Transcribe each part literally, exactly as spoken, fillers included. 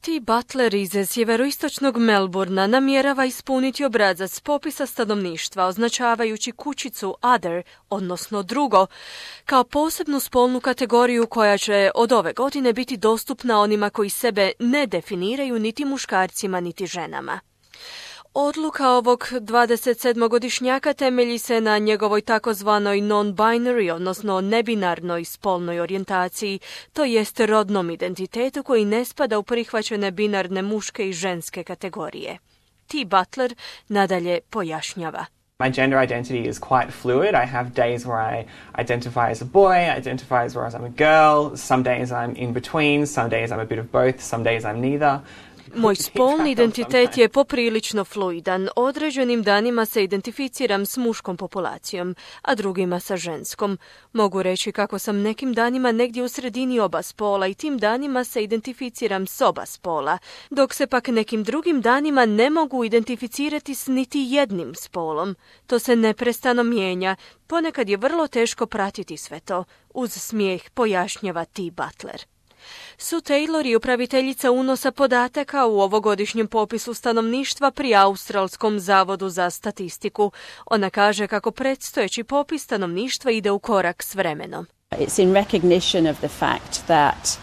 T. Butler iz sjeveroistočnog Melbourna namjerava ispuniti obrazac popisa stanovništva označavajući kućicu other, odnosno drugo, kao posebnu spolnu kategoriju koja će od ove godine biti dostupna onima koji sebe ne definiraju niti muškarcima niti ženama. Odluka ovog dvadesetsedmogodišnjaka temelji se na njegovoj takozvanoj non-binary, odnosno nebinarnoj spolnoj orijentaciji, to jest rodnom identitetu koji ne spada u prihvaćene binarne muške i ženske kategorije. T. Butler nadalje pojašnjava. My gender identity is quite fluid. I have days where I identify as a boy, identify as whereas I'm a girl. Some days I'm in between, some days I'm a bit of both, some days I'm neither. Moj spolni identitet je poprilično fluidan. Određenim danima se identificiram s muškom populacijom, a drugima sa ženskom. Mogu reći kako sam nekim danima negdje u sredini oba spola i tim danima se identificiram s oba spola, dok se pak nekim drugim danima ne mogu identificirati s niti jednim spolom. To se neprestano mijenja. Ponekad je vrlo teško pratiti sve to. Uz smijeh pojašnjava T. Butler. Sue Taylor je upraviteljica unosa podataka u ovogodišnjem popisu stanovništva pri Australskom zavodu za statistiku. Ona kaže kako predstojeći popis stanovništva ide u korak s vremenom. It's in recognition of the fact that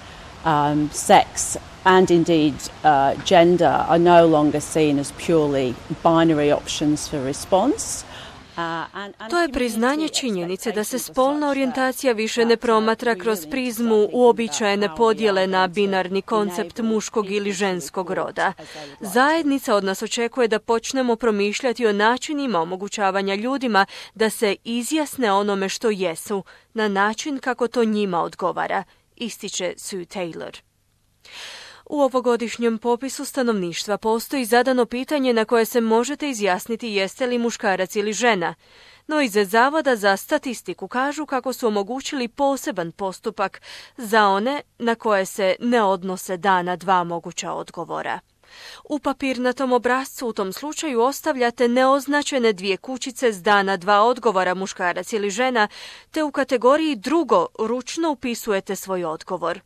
um, sex and indeed uh, gender are no longer seen as purely binary options for response. To je priznanje činjenice da se spolna orijentacija više ne promatra kroz prizmu uobičajene podjele na binarni koncept muškog ili ženskog roda. Zajednica od nas očekuje da počnemo promišljati o načinima omogućavanja ljudima da se izjasne onome što jesu, na način kako to njima odgovara, ističe Sue Taylor. U ovogodišnjem popisu stanovništva postoji zadano pitanje na koje se možete izjasniti jeste li muškarac ili žena, no iz Zavoda za statistiku kažu kako su omogućili poseban postupak za one na koje se ne odnose dana dva moguća odgovora. U papirnatom obrascu u tom slučaju ostavljate neoznačene dvije kućice s dana dva odgovora muškarac ili žena, te u kategoriji drugo ručno upisujete svoj odgovor.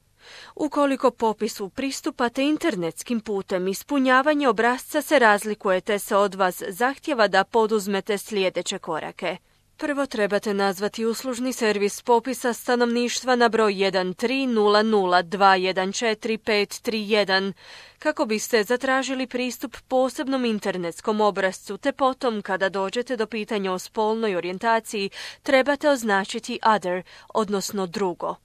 Ukoliko popisu pristupate internetskim putem, ispunjavanje obrasca se razlikuje te se od vas zahtjeva da poduzmete sljedeće korake. Prvo trebate nazvati uslužni servis popisa stanovništva na broj jedan tri nula nula dva jedan četiri pet tri jedan kako biste zatražili pristup posebnom internetskom obrascu, te potom kada dođete do pitanja o spolnoj orijentaciji trebate označiti other, odnosno drugo.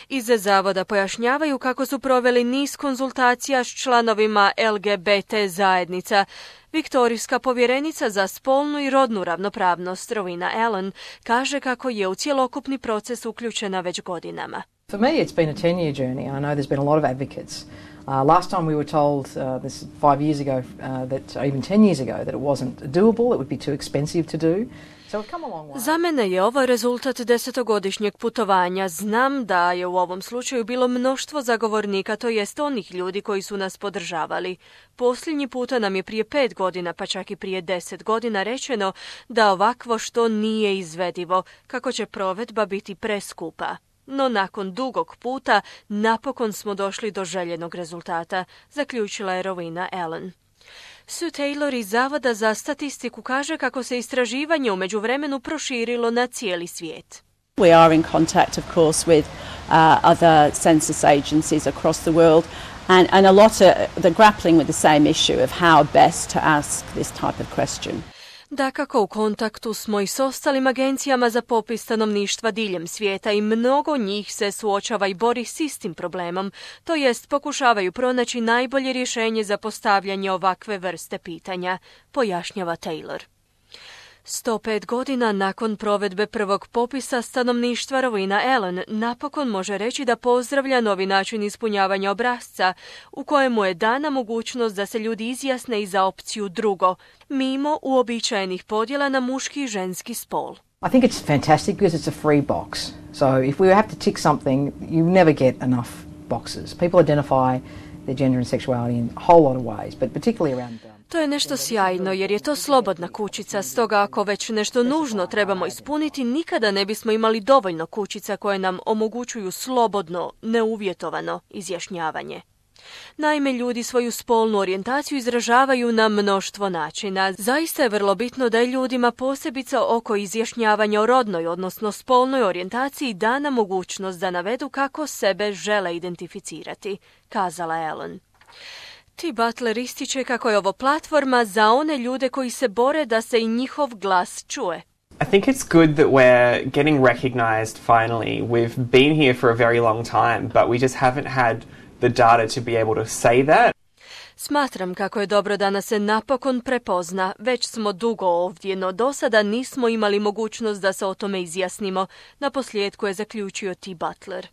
Iz Zavoda pojašnjavaju kako su proveli niz konzultacija s članovima L G B T zajednica. Viktorijska povjerenica za spolnu i rodnu ravnopravnost Rowena Allen kaže kako je u cjelokupni proces uključena već godinama. For me it's been a ten-year journey. I know there's been a lot of advocates. Uh, last time we were told, uh, this five years ago, uh, that or even ten years ago, that it wasn't doable, it would be too expensive to do. Za mene je ovo rezultat desetogodišnjeg putovanja. Znam da je u ovom slučaju bilo mnoštvo zagovornika, to jest onih ljudi koji su nas podržavali. Posljednji puta nam je prije pet godina, pa čak i prije deset godina rečeno da ovakvo što nije izvedivo, kako će provedba biti preskupa. No nakon dugog puta napokon smo došli do željenog rezultata, zaključila je Rowena Allen. Sue Taylor iz Zavoda za statistiku kaže kako se istraživanje u međuvremenu proširilo na cijeli svijet. We are in contact, of course, with uh, other census agencies across the world, and, and a lot of they're grappling with the same issue of how best to ask this type of question. Dakako, u kontaktu smo i s ostalim agencijama za popis stanovništva diljem svijeta i mnogo njih se suočava i bori s istim problemom, to jest pokušavaju pronaći najbolje rješenje za postavljanje ovakve vrste pitanja, pojašnjava Taylor. sto pet godina nakon provedbe prvog popisa stanovništva Rowena Allen napokon može reći da pozdravlja novi način ispunjavanja obrasca u kojemu je dana mogućnost da se ljudi izjasne i za opciju drugo, mimo uobičajenih podjela na muški i ženski spol. I think it's fantastic because it's a free box. So if we have to tick something, you never get enough boxes. People identify their gender and sexuality in a whole lot of ways, but particularly around To je nešto sjajno jer je to slobodna kućica, stoga ako već nešto nužno trebamo ispuniti, nikada ne bismo imali dovoljno kućica koje nam omogućuju slobodno, neuvjetovano izjašnjavanje. Naime, ljudi svoju spolnu orijentaciju izražavaju na mnoštvo načina. Zaista je vrlo bitno da je ljudima posebice oko izjašnjavanja o rodnoj, odnosno spolnoj orijentaciji, dana mogućnost da navedu kako sebe žele identificirati, kazala je Ellen. T. Butler ističe kako je ovo platforma za one ljude koji se bore da se i njihov glas čuje. I think it's good that we're getting recognized finally. We've been here for a very long time, but we just haven't had the data to be able to say that. Smatram kako je dobro da nas se napokon prepozna. Već smo dugo ovdje, no do sada nismo imali mogućnost da se o tome izjasnimo, naposljetku je zaključio T. Butler.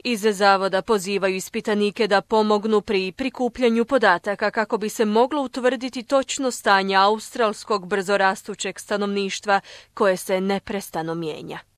Iz zavoda pozivaju ispitanike da pomognu pri prikupljanju podataka kako bi se moglo utvrditi točno stanje australskog brzorastućeg stanovništva koje se neprestano mijenja.